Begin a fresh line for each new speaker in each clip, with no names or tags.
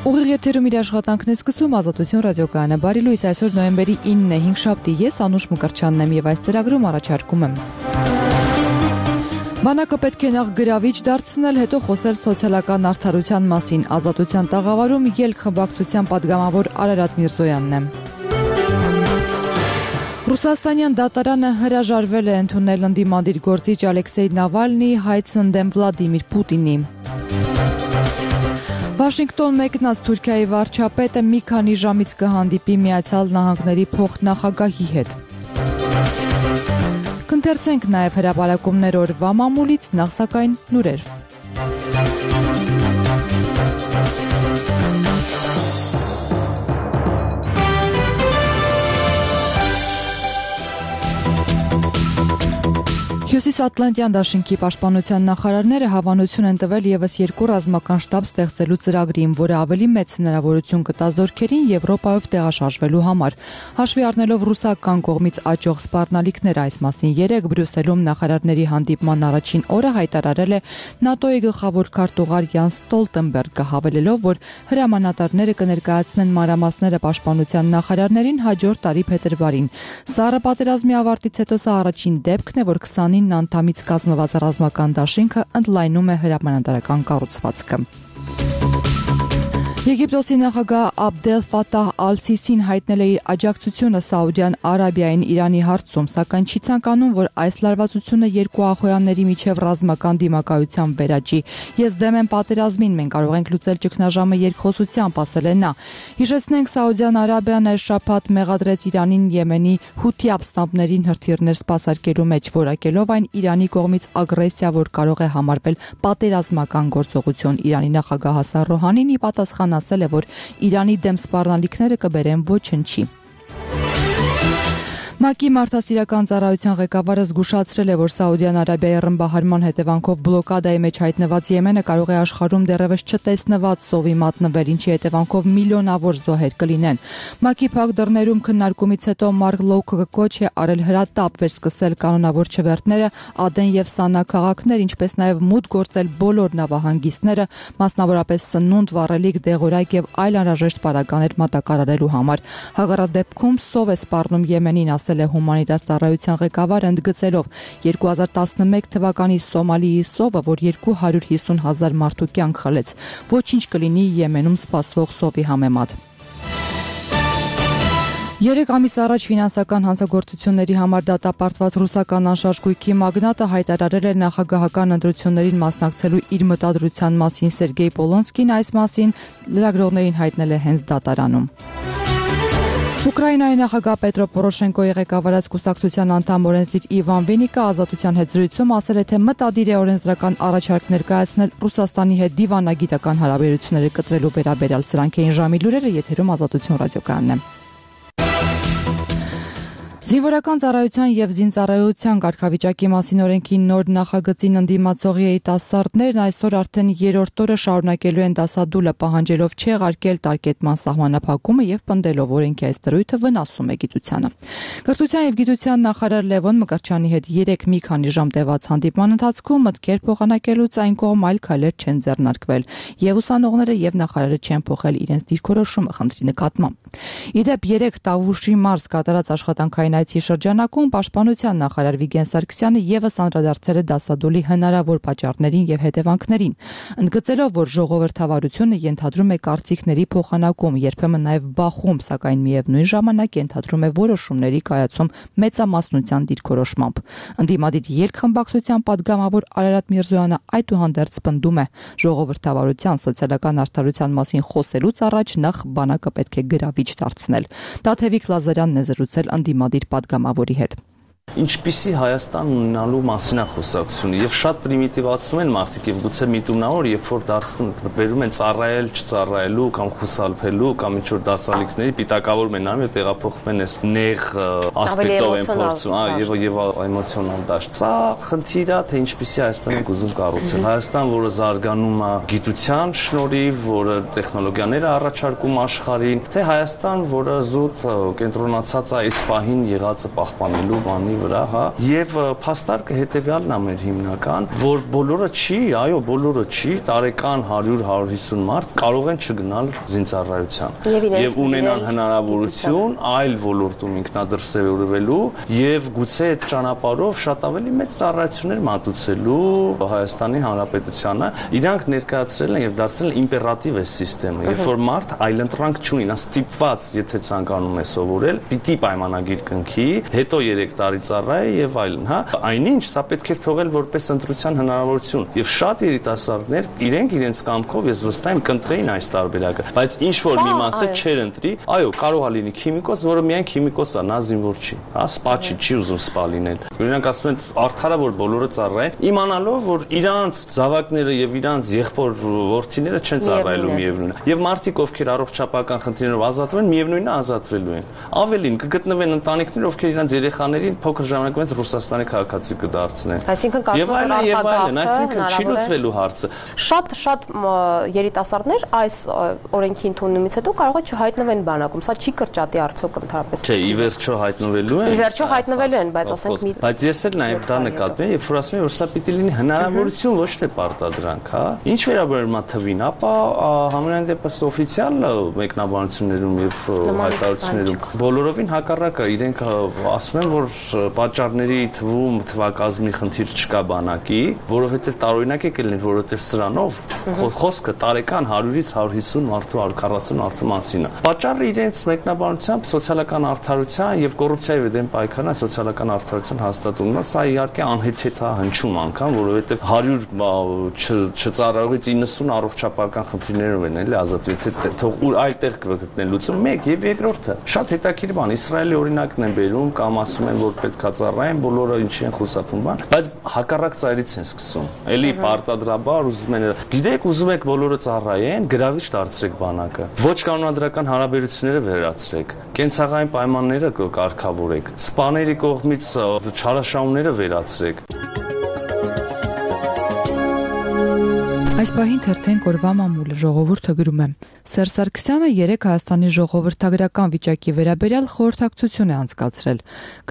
Ուղիղ եթերում իր աշխատանքն է սկսում Ազատություն ռադիոկայանը։ Բարի լույս, այսօր նոյեմբերի 9-ն է, 5 շաբթի, ես Անուշ Մկրտչյանն եմ եւ այս ծրագրում առաջարկում եմ. Բանակը պետք է նախ գրավիչ դարձնել, հետո խոսել սոցիալական արդարության մասին։ Ազատության տաղավարում ելք խմբակցության падգամավոր Արարատ Միրզոյանն է։ Ռուսաստանյան դատարանը հրաժարվել է ընդունել ընդդիմադիր գործիչ Ալեքսեյ Նավալնիի հայցն դեմ Վլադիմիր Պուտինի։ Վաշինգտոն մեկնած Թուրքիայի վարչապետը մի քանի ժամից կհանդիպի Միացյալ Նահանգների փոխնախագահի հետ։ Կընթերցենք նաև հրապարակումներ օրվա մամուլից, նախ սակայն լուրեր։ Հյուսիսատլանտյան դաշինքի պաշտպանության նախարարները հավանություն են տվել ևս երկու ռազմական շտաբ ստեղծելու ծրագրին, որը ավելի մեծ հնարավորություն կտա զորքերին Եվրոպայով տեղաշարժվելու համար։ Հաշվի առնելով ռուսական կողմից աճող սպառնալիքները, այս մասին երեկ Բրյուսելում նախարարների հանդիպման առաջին օրը հայտարարել է ՆԱՏՕ-ի գլխավոր քարտուղար Յան Ստոլտենբերգը, հավելելով, որ հրամանատարները կներկայացնեն մանրամասները պաշտպանության նախարարներին հաջորդ տարի փետրվարին։ Սառը պատերազմի ավարտից հետո սա առաջին դեպքն է, որ 29 անդամից կազմված ռազմական դաշինքը ընդլայնում է հրամանատարական կառուցվածքը։ Եգիպտոսի նախագահ Աբդել Ֆաթահ Ալ-Սիսին հայտնել է իր աջակցությունը Սաուդյան Արաբիային Իրանի հարցում, սակայն չի ցանկանում, որ այս լարվածությունը երկու ախոյանների միջև ռազմական դիմակայության վերաճի։ Ես դեմ եմ պատերազմին, մենք կարող ենք լուծել ճգնաժամը երկխոսությամբ, ասել է նա։ Հիշեցնենք, Սաուդյան Արաբիան այս շաբաթ մեղադրեց Իրանին Եմենի հութի ապստամբներին հրթիռներ սպասարկելու մեջ, որակելով այն Իրանի կողմից ագրեսիա, որ կարող է համարվել պատերազմական գործողություն։ Իրանի նախագահ Հասան Ռոհանին ի պատասխան ասել է, որ Իրանի դեմ սպառնալիքները կբերեն ոչնչի։ ՄԱԿ-ի մարդասիրական ծառայության ղեկավարը զգուշացրել է, որ Սաուդյան Արաբիայի ռմբահարման հետևանքով բլոկադայի մեջ հայտնված Եմենը կարող է աշխարհում դեռևս չտեսնված սովի մատնվել, ինչի հետևանքով միլիոնավոր զոհեր կլինեն։ ՄԱԿ-ի փակ դռներում քննարկումից հետո Մարկ Լոուքը կոչ է արել հրատապ վերսկսել կանոնավոր չվերթները, Ադեն եւ Սանա քաղաքներ, ինչպես նաեւ մուտք գործել բոլոր նավահանգիստները, մասնավորապես սնունդ, վառելիք, դեղորայք եւ այլ անհրաժեշտ պարագաներ մատակարարելու համար։ Հակառակ դեպքում սով է սպառնում Եմենին, ասել է հումանիտար ծառայության ղեկավարը, ընդգծելով 2011 թվականի Սոմալիի սովը, որ 250,000 մարդու կյանք խլեց, ոչինչ կլինի Եմենում սպասվող սովի համեմատ։ 3 ամիս առաջ ֆինանսական հանցագործությունների համար դատապարտված ռուսական անշարժ գույքի մագնատը հայտարարել է նախագահական ընտրություններին մասնակցելու իր մտադրության մասին։ Սերգեյ Պոլոնսկին այս մասին լրագրողներին հայտնել է հենց դատարանում։ Ուկրաինայի նախագահ Պետրո Պորոշենկոյի ղեկավարած կուսակցության անդամ օրենսդիր Իվան Վենիկը Ազատության հետ զրույցում ասել է, թե մտադիր է օրենսդրական առաջարկ ներկայացնել Ռուսաստանի հետ դիվանագիտական հարաբերությունները կտրելու վերաբերյալ։ Սրանք էին ժամի լուրերը, եթերում Ազատություն ռադիոկայանն է։ Զինվորական ծառայության եւ զինծառայության կարգավիճակի մասին օրենքի նոր նախագծին ընդդիմացող երիտասարդներն այսօր արդեն երրորդ օրը շարունակելու են դասադուլը, պահանջելով չեղարկել տարկետման սահմանափակումը եւ պնդելով օրենքի այս դրույթը վնասում է գիտությանը։ Կրթության եւ գիտության նախարար Լևոն Մկրտչյանի հետ 3 մի քանի ժամ տևած հանդիպման ընթացքում մտքեր փոխանակելուց այն կողմ այլ քայլեր չեն ձեռնարկվել, եւ ուսանողները եւ նախարարը չեն փոխել իրենց դիրքորոշումը խնդրի նկատմամբ։ Իդեպ 3 Տավուշի մարզ կատարած աշխատանքային այցի շրջանակում պաշտպանության նախարար Վիգեն Սարգսյանը եւս անդրադարձել է դասադուլի հնարավոր պատճառներին եւ հետևանքներին, ընդգծելով, որ ժողովրդավարությունը ենթադրում է կարծիքների փոխանակում, երբեմն նաեւ բախում, սակայն միևնույն ժամանակ ենթադրում է որոշումների կայացում մեծամասնության դիրքորոշմամբ։ Ընդդիմադիր երկխմբակցության падգամավոր Արարատ Միրզոյանը այդուհանդերձ պնդում է, ժողովրդավարության սոցիալական արդարության մասին խոսելուց առաջ նախ բանակը պետք է գրավիչ դարձնել։ Տաթևիկ Լազարյանն է զրուցել ընդդիմադիր падգամավորի հետ։
Ինչպիսի Հայաստան ունենալու մասին է խոսակցությունը եւ շատ պրիմիտիվացնում են մարդիկ եւ գուցե միտումնավոր, երբ որ բերում են ծառայել, չծառայելու կամ խուսափելու կամ ինչ որ դասալիքների պիտակավորում են անում եւ տեղափոխում են այս նեղ ասպեկտով են փորձում, եւ էմոցիոնալ դաշտ։ Սա խնդիր է, թե ինչպիսի Հայաստան ենք ուզում կառուցել։ Հայաստան, որը զարգանում է գիտության շնորհիվ, որը տեխնոլոգիաներ է առաջարկում աշխարհին, թե Հայաստան, որը զուտ կենտրոնացած է այս պահին եղածը պահպանելու բանի Հայաստանի վրա, հա, եւ փաստարկը հետեւյալն է մեր հիմնական, որ բոլորը չի, տարեկան 100-150 մարդ կարող են չգնալ զինծառայության եւ ունենան հնարավորություն այլ ոլորտում ինքնադրսևորվելու եւ գուցե այդ ճանապարհով շատ ավելի մեծ ծառայություններ մատուցելու Հայաստանի Հանրապետությանը իրանք ներկայացրել են եւ դարձրել իմպերատիվ է համակարգը, երբ որ մարդ այլընտրանք չունի, նա ստիպված, եթե ցանկանում է սովորել, պիտի պայմանագիր կնքի, հետո 3 տարի ծառայի եւ այլն, հա, այնինչ սա պետք է թողել որպես ընտրության հնարավորություն եւ շատ երիտասարդներ իրենց կամքով ես վստահ եմ կընտրեին այս տարբերակը, բայց ինչ որ մի մասը չեր ընտրի, այո, կարող է լինի քիմիկոս, որը միայն քիմիկոս է, նա զինվոր չի, հա, սպա չի ուզում սպա լինել։ Օրինակ ասում են արդարը որ բոլորը ծառայեն, իմանալով որ իրանց զավակները եւ իրանց եղբոր որդիները չեն ծառայելու միևնույն է։ Եվ մարդիկ ովքեր առողջապահական խնդիրներով ազատվում են, միևնույնն է ազատվելու են։ Ավելին կգտնվեն ընտանիքներ, ովքեր իրանց երեխաներին փոքր ժամանակ մեծ Ռուսաստանի քաղաքացի կդարձնեն։
Այսինքն
այսինքն չի լուծվելու հարցը։
Շատ երիտասարդներ այս օրենքի ընդունումից հետո կարող է չհայտնվեն բանակում։ Սա չի կրճատի արդյոք ընդհանրապես։
Չէ, ի վերջո հայտնվելու են։
Ի վերջո հայտնվելու են, բայց ասենք մի
Բայց ես էլ նաև դա նկատում եմ, երբ որ ասում եմ, որ սա պիտի լինի հնարավորություն, ոչ թե պարտադրանք, հա։ Ինչ վերաբերում է թվին, ապա համենայն դեպս օֆիցիալ մեկնաբանություններում եւ հայտարարություններում բոլորովին հակառակը, իրենք ասում են, որ պատճառների թվում թվակազմի խնդիր չկա բանակի, որովհետեւ տարօրինակ է կլինի, որովհետեւ սրանով խոսքը տարեկան 100-ից 150 մարդու 140 մարդու մասին է։ Պատճառը իրենց մեկնաբանությամբ սոցիալական արդարության եւ կոռուպցիայի դեմ պայքարն է, սոցիալական արդարության հաստատումն է, սա իհարկե անհեթեթ է հնչում անգամ, որովհետեւ 100 չծառայողից 90 առողջապահական խնդիրներով են էլի ազատվել, թե թող ուր այլտեղ կգտնեն լուծում, մեկ եւ երկրորդը շատ հետաքրքիր բան, Իսրայելի օրինակն են բերում կամ ասում են, որ պետք է ծառայեն, բոլորը ինչի են խուսափում բան, բայց հակառակ ծայրից են սկսում, էլի պարտադրաբար ուզում են, գիտեք, ուզում եք բոլորը ծառայեն, գրավիչ դարձրեք բանակը, ոչ կանոնադրական հարաբերությունները վերացրեք, կենցաղային պայմանները կարգավորեք, սպաների կողմից չարաշահումները վերացրեք։
Այս պահին թերթեն կորվա մամուլը ժողովուրդը գրում է. Սերժ Սարգսյանը 3 Հայաստանի ժողովրդագրական վիճակի վերաբերյալ խորհրդակցություն է անցկացրել։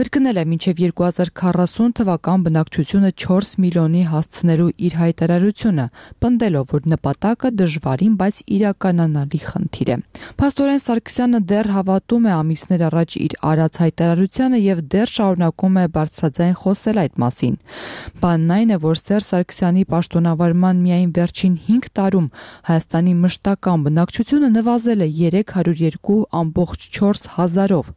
Կրկնել է մինչև 2040 թվական բնակչությունը 4 միլիոնի հասցնելու իր հայտարարությունը, պնդելով, որ նպատակը դժվարին, բայց իրականանալի խնդիր է։ Փաստորեն Սարգսյանը դեռ հավատում է ամիսներ առաջ իր արած հայտարարությանը եւ դեռ շարունակում է բարձրաձայն խոսել այդ մասին։ Բանն այն է, որ Սերժ Սարգսյանի պաշտոնավարման միայն վերջին 5 տարում Հայաստանի մշտական բնակչությունը նվազել է 302.4 հազարով։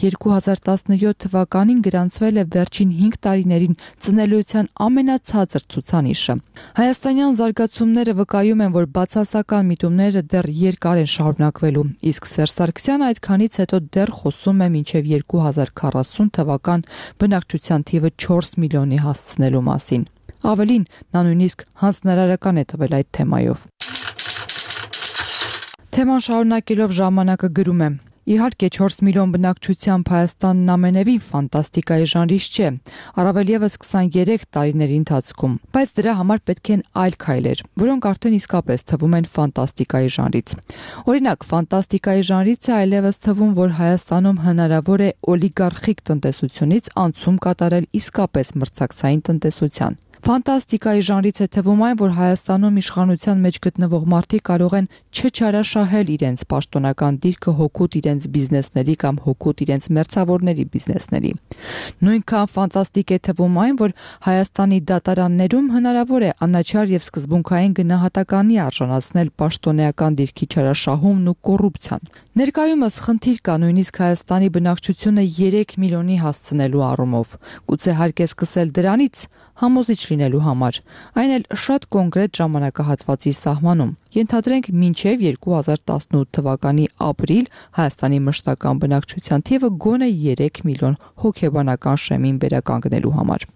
2017 թվականին գրանցվել է վերջին 5 տարիներին ծնելիության ամենացածր ցուցանիշը։ Հայաստանյան զարգացումները վկայում են, որ բացասական միտումները դեռ երկար են շարունակվելու, իսկ Սերժ Սարգսյանը այդքանից հետո դեռ խոսում է մինչև 2040 թվական բնակչության թիվը 4 միլիոնի հասցնելու մասին։ Ավելին, նա նույնիսկ հանձնարարական է տվել այդ թեմայով։ Թեման շարունակելով ժամանակը գրում է. Իհարկե 4 միլիոն բնակչությամբ Հայաստանն ամենևին ֆանտաստիկայի ժանրից չէ, առավել եւս 23 տարիների ընթացքում, բայց դրա համար պետք են այլ քայլեր, որոնք արդեն իսկապես թվում են ֆանտաստիկայի ժանրից։ Օրինակ, ֆանտաստիկայի ժանրից է այլևս թվում, որ Հայաստանում հնարավոր է օլիգարխիկ տնտեսությունից անցում կատարել իսկապես մրցակցային տնտեսության։ Ֆանտաստիկայի ժանրից է թվում այն, որ Հայաստանում իշխանության մեջ գտնվող մարդիկ կարող են չչարաշահել իրենց պաշտոնական դիրքը հօգուտ իրենց բիզնեսների կամ հօգուտ իրենց մերձավորների բիզնեսների։ Նույնքան ֆանտաստիկ է թվում այն, որ Հայաստանի դատարաններում հնարավոր է անաչար եւ սկզբունքային գնահատականի արժանացնել պաշտոնեական դիրքի չարաշահումն ու կոռուպցիան։ Ներկայումս խնդիր կա նույնիսկ Հայաստանի բնակչությունը 3 միլիոնի հասցնելու առումով։ Գուցե հարկ է սկսել դրանից համոզիչ լինելու համար, այն էլ շատ կոնկրետ ժամանակահատվածի սահմանում։ Ենթադրենք մինչև 2018 թվականի ապրիլ Հայաստանի մշտական բնակչության թիվը գոնե 3 միլիոն հոգեբանական շեմին վերականգնելու համար։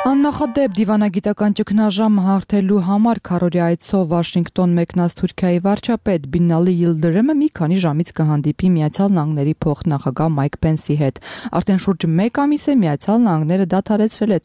Աննախադեպ դիվանագիտական ճգնաժամը հաղթելու համար քարորի այցով Վաշինգտոն մեկնած Թուրքիայի վարչապետ Բինալի Yıldırımը մի քանի ժամից կհանդիպի Միացյալ Նահանգների փոխնախագահ Մայք Պենսի հետ։ Արդեն շուրջ 1 ամիս է Միացյալ Նահանգները դադարեցրել է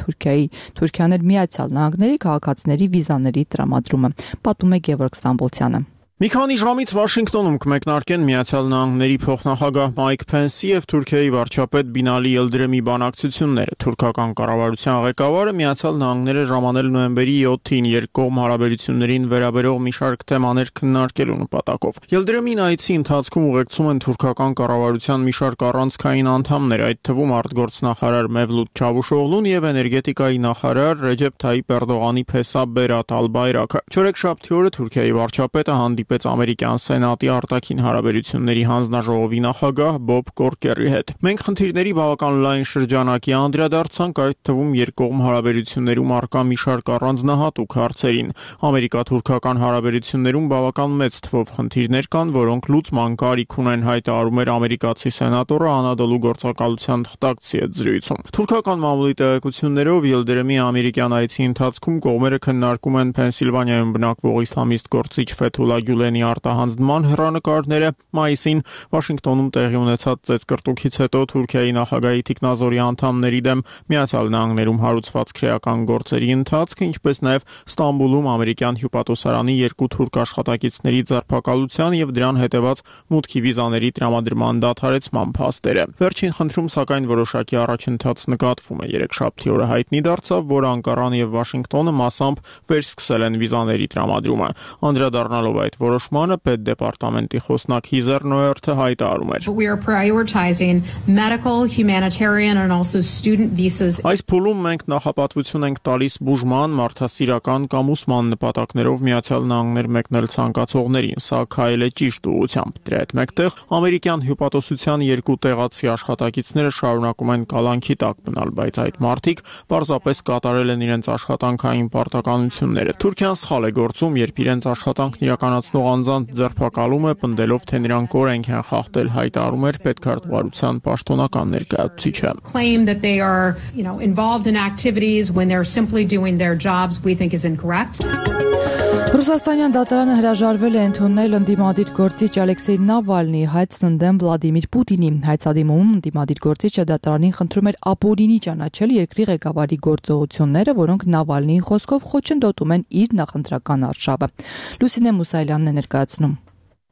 Թուրքիան էլ Միացյալ Նահանգների քաղաքացիների վիզաների տրամադրումը, պատմում է Գևորգ Ստամբոլցյանը։
Մի քանի ժամից Վաշինգտոնում կմեկնարկեն Միացյալ Նահանգների փոխնախագահ Մայք Փենսի եւ Թուրքիայի վարչապետ Բինալի Ելդրեմի բանակցությունները։ Թուրքական կառավարության ղեկավարը Միացյալ Նահանգները ժամանել նոյեմբերի 7-ին երկկողմ հարաբերություններին վերաբերող մի շարք թեմաներ քննարկելու նպատակով։ Ելդրեմին այցի ընթացքում ուղեկցում են թուրքական կառավարության մի շարք առանցքային անդամներ, այդ թվում արտգործնախարար Մեվլութ Չավուշօղլուն եւ էներգետիկայի նախարար Ռեջեփ Թայիպ Էրդողանի փեսա Բերատ Ալ-Բայրակը։ Չորեքշաբթի օրը Թուրքիայի վարչապետը հանդիպեց ամերիկյան սենատի արտաքին հարաբերությունների հանձնաժողովի նախագահ Բոբ Կորկերի հետ։ Մենք խնդիրների բավական լայն շրջանակի անդրադարձանք, այդ թվում երկկողմ հարաբերություններում առկա մի շարք առանձնահատուկ հարցերին։ Ամերիկա-թուրքական հարաբերություններում բավական մեծ թվով խնդիրներ կան, որոնք լուծման կարիք ունեն, հայտարարում էր ամերիկացի սենատորը Անադոլու գործակալության թղթակցի հետ զրույցում։ Թուրքական մամուլի տեղեկություններով Ելդրեմի ամերիկյան այցի ընթացքում կողմերը քննարկում են Փենսիլվանիայում բնակվող իսլամիստ գործիչ Ֆեթուլա Գյուլենի արտահանձնման հեռանկարները։ Մայիսին Վաշինգտոնում տեղի ունեցած ծեծկռտուքից հետո Թուրքիայի նախագահի թիկնազորի անդամների դեմ Միացյալ Նահանգներում հարուցված քրեական գործերի ընթացքը, ինչպես նաև Ստամբուլում ամերիկյան հյուպատոսարանի երկու թուրք աշխատակիցների ձերբակալության եւ դրան հետեւած մուտքի վիզաների տրամադրման դադարեցման փաստերը։ Վերջին խնդրում սակայն որոշակի առաջընթաց նկատվում է։ Երեքշաբթի օրը հայտնի դարձավ, որ Անկարան եւ Վաշինգտոնը մասամբ վերսկսել են վիզաների տրամադրումը։ Անդրադառնալով այդ որոշմանը, պետդեպարտամենտի խոսնակ Հիզեր Նոյերթը հայտարարում էր.
We are prioritizing medical, humanitarian and also student visas.
Այս փուլում մենք նախապատվություն ենք տալիս բուժման, մարդասիրական կամ ուսման նպատակներով Միացյալ Նահանգներ մեկնել ցանկացողներին, սա քայլ է ճիշտ ուղղությամբ։ Դրա հետ մեկտեղ ամերիկյան հյուպատոսության երկու տեղացի աշխատակիցները շարունակում են կալանքի տակ մնալ, բայց այդ մարդիկ պարզապես կատարել են իրենց աշխատանքային պարտականությունները։ Թուրքիան սխալ է գործում, երբ իրենց աշխատանքն իրականացնող անձանց ձերբակալում է, պնդելով, թե նրանք օրենք են խախտել, հայտարարում էր պետքարտուղարության պաշտոնական ներկայացուցիչը։
Claim that they are, involved in activities when they're simply doing their jobs, we think is incorrect.
Ռուսաստանյան դատարանը հրաժարվել է ընդունել ընդդիմադիր գործիչ Ալեքսեյ Նավալնիի հայցն ընդդեմ Վլադիմիր Պուտինի։ Հայցադիմում ընդդիմադիր գործիչը դատարանին խնդրում էր ապօրինի ճանաչել երկրի ղեկավարի գործողությունները, որոնք Նավալնիի խոսքով խոչընդոտում են իր նախընտրական արշավը։ Լուսինե Մուսայելյանն է ներկայացնում։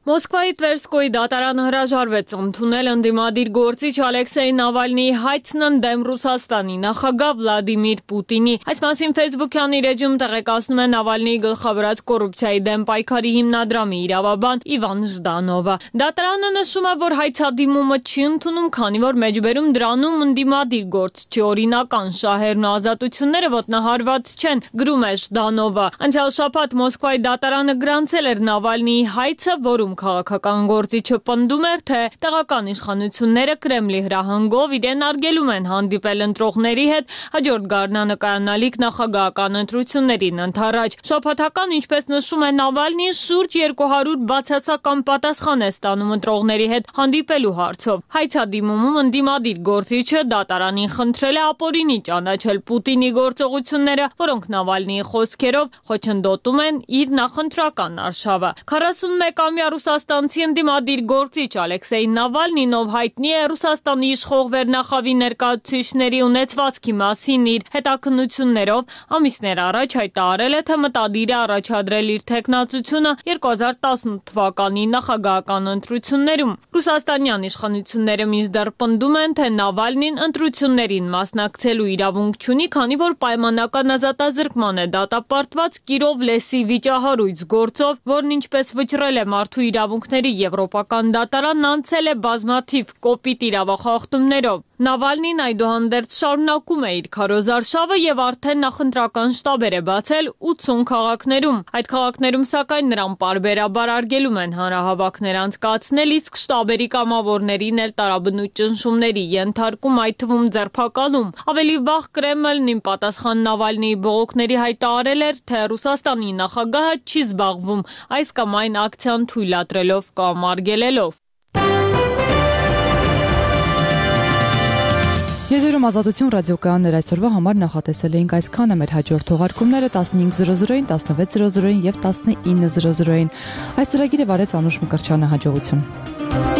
Մոսկվայի Տվերսկոյի դատարանը հրաժարվեց ընդունել ընդդիմադիր գործիչ Ալեքսեյ Նավալնիի հայցն ընդդեմ Ռուսաստանի նախագահ Վլադիմիր Պուտինի։ Այս մասին Facebook-յան իր էջում տեղեկացնում է Նավալնիի գլխավորած կոռուպցիայի դեմ պայքարի հիմնադրամի իրավաբան Իվան Ժդանովը։ Դատարանը նշում է, որ հայցադիմումը չի ընդունում, քանի որ մեջբերում դրանում ընդդիմադիր գործչի օրինական շահերն ու ազատությունները ոտնահարված չեն, գրում է Ժդանովը։ Անցյալ շաբաթ Մոսկվայի դատարանը գրանցել էր Նավալնիի հայցը, որում քաղաքական գործիչը պնդում էր, թե տեղական իշխանությունները Կրեմլի հրահանգով իրեն արգելում են հանդիպել ընտրողների հետ հաջորդ գարնանը կայանալիք նախագահական ընտրություններին ընդառաջ։ Շաբաթական, ինչպես նշում է Նավալնին, շուրջ 200 բացասական պատասխան է ստանում ընտրողների հետ հանդիպելու հարցով։ Հայցադիմումում ընդդիմադիր գործիչը դատարանին խնդրել է ապօրինի ճանաչել Պուտինի գործողությունները, որոնք Նավալնիի խոսքերով խոչընդոտում են իր նախընտրական արշավը։ 41-ամյա ռուսաստանցի ընդդիմադիր գործիչ Ալեքսեյ Նավալնին, ով հայտնի է Ռուսաստանի իշխող վերնախավի ներկայացուցիչների ունեցվածքի մասին իր հետաքննություններով, ամիսներ առաջ հայտարարել է, թե մտադիր է առաջադրել իր թեկնածությունը 2018 թվականի նախագահական ընտրություններում։ Ռուսաստանյան իշխանությունները մինչդեռ պնդում են, թե Նավալնին ընտրություններին մասնակցելու իրավունք չունի, քանի որ պայմանական ազատազրկման է դատապարտված Կիրով լեսի վիճահարույց գործով, որն ինչպես վճռել է մարդու իրավունքների եվրոպական դատարանն անցել է բազմաթիվ կոպիտ իրավախախտումներով։ Նավալնին այդուհանդերձ շարունակում է իր քարոզարշավը եւ արդեն նախընտրական շտաբեր է բացել 80 քաղաքներում։ Այդ քաղաքներում սակայն նրան պարբերաբար արգելում են հանրահավաքներ անցկացնել, իսկ շտաբերի կամավորներին էլ տարաբնույթ ճնշումների ենթարկում, այդ թվում ձերբակալում։ Ավելի վաղ Կրեմլն իմ պատասխան Նավալնիի բողոքների հայտարարել էր, թե Ռուսաստանի նախագահը չի զբաղվում այս կամ այն ակցիան թույլատրելով կամ արգելելով։
Եթերում Ազատություն ռադիոկայաններ այսօրվա համար նախատեսել էինք այսքանը։ Մեր հաջորդ թողարկումները 15:00-ին, 16:00-ին եւ 19:00-ին։ Այս ծրագիրը վարեց Անուշ Մկրտչյանը, հաջողություն։